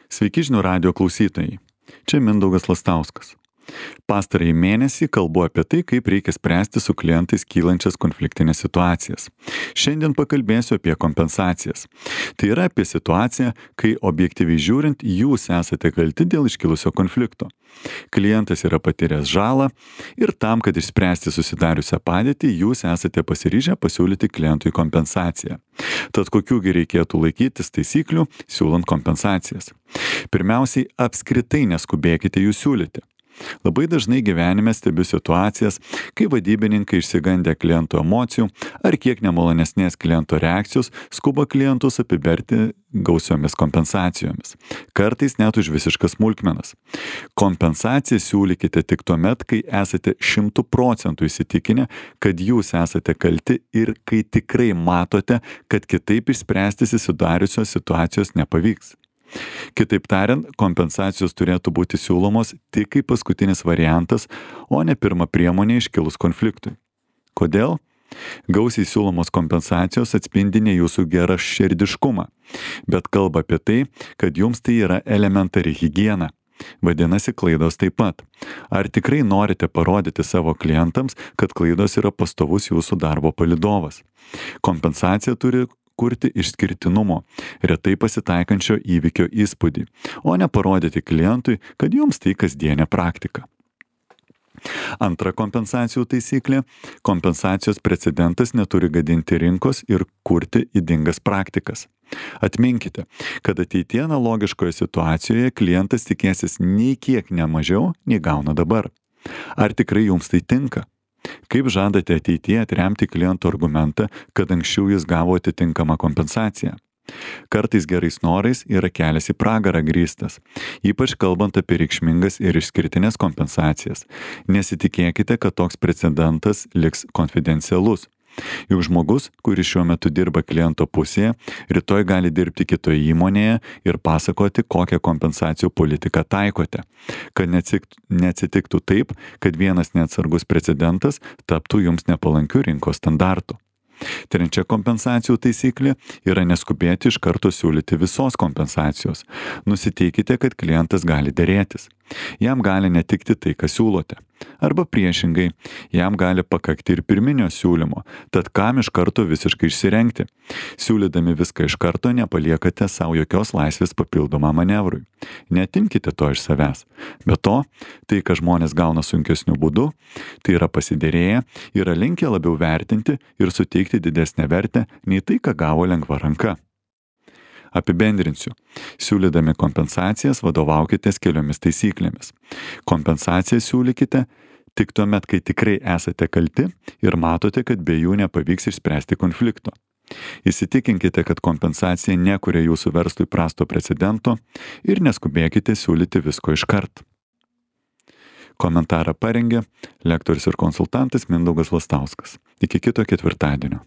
Sveiki žinių radijo klausytojai. Čia Mindaugas Lastauskas. Pastarąjį mėnesį kalbu apie tai, kaip reikia spręsti su klientais kylančias konfliktinės situacijas. Šiandien pakalbėsiu apie kompensacijas. Tai yra apie situaciją, kai objektyviai žiūrint, jūs esate kalti dėl iškilusio konflikto. Klientas yra patyręs žalą ir tam, kad išspręsti susidariusią padėtį, jūs esate pasiryžę pasiūlyti klientui kompensaciją. Tad kokiųgi reikėtų laikytis taisyklių, siūlant kompensacijas? Pirmiausiai, apskritai neskubėkite jų siūlyti. Labai dažnai gyvenime stebiu situacijas, kai vadybininkai išsigandę klientų emocijų ar kiek nemalonesnės kliento reakcijos skuba klientus apiberti gausiomis kompensacijomis. Kartais net už visiškas smulkmenas. Kompensaciją siūlykite tik tuomet, kai esate 100% įsitikinę, kad jūs esate kalti ir kai tikrai matote, kad kitaip išspręsti susidariusios situacijos nepavyks. Kitaip tariant, kompensacijos turėtų būti siūlomos tik kaip paskutinis variantas, o ne pirma priemonė iškilus konfliktui. Kodėl? Gausiai siūlomos kompensacijos atspindi ne jūsų geraširdiškumą, bet kalba apie tai, kad jums tai yra elementari higiena. Vadinasi, klaidos taip pat. Ar tikrai norite parodyti savo klientams, kad klaidos yra pastovus jūsų darbo palydovas? Kompensacija turi kurti išskirtinumo, retai pasitaikančio įvykio įspūdį, o ne parodyti klientui, kad jums tai kasdienė praktika. Antra kompensacijų taisyklė – kompensacijos precedentas neturi gadinti rinkos ir kurti ydingas praktikas. Atminkite, kad ateityje analogiškoje situacijoje klientas tikėsis nei kiek nemažiau, nei gauna dabar. Ar tikrai jums tai tinka? Kaip žadate ateityje atremti kliento argumentą, kad anksčiau jis gavo atitinkamą kompensaciją? Kartais gerais norais yra kelias į pragarą grįstas, ypač kalbant apie reikšmingas ir išskirtinės kompensacijas. Nesitikėkite, kad toks precedentas liks konfidencialus. Juk žmogus, kuris šiuo metu dirba kliento pusėje, rytoj gali dirbti kitoje įmonėje ir pasakoti, kokią kompensacijų politiką taikote, kad neatsitiktų taip, kad vienas neatsargus precedentas taptų jums nepalankiu rinkos standartu. Trečia kompensacijų taisyklė yra neskubėti iš karto siūlyti visos kompensacijos. Nusiteikite, kad klientas gali derėtis. Jam gali netikti tai, ką siūlote. Arba priešingai, jam gali pakakti ir pirminio siūlymo, tad kam iš karto visiškai išsirengti? Siūlydami viską iš karto nepaliekate savo jokios laisvės papildomą manevrui. Neatimkite to iš savęs. Be to, tai, ką žmonės gauna sunkesniu būdu, tai yra pasiderėję, yra linkę labiau vertinti ir suteikti didesnę vertę nei tai, ką gavo lengva ranka. Apibendrinsiu. Siūlydami kompensacijas vadovaukitės keliomis taisyklėmis. Kompensaciją siūlykite tik tuomet, kai tikrai esate kalti ir matote, kad be jų nepavyks išspręsti konflikto. Įsitikinkite, kad kompensacija nekuria jūsų verslui prasto precedento ir neskubėkite siūlyti visko iškart. Komentarą parengė lektorius ir konsultantas Mindaugas Lastauskas. Iki kito ketvirtadienio.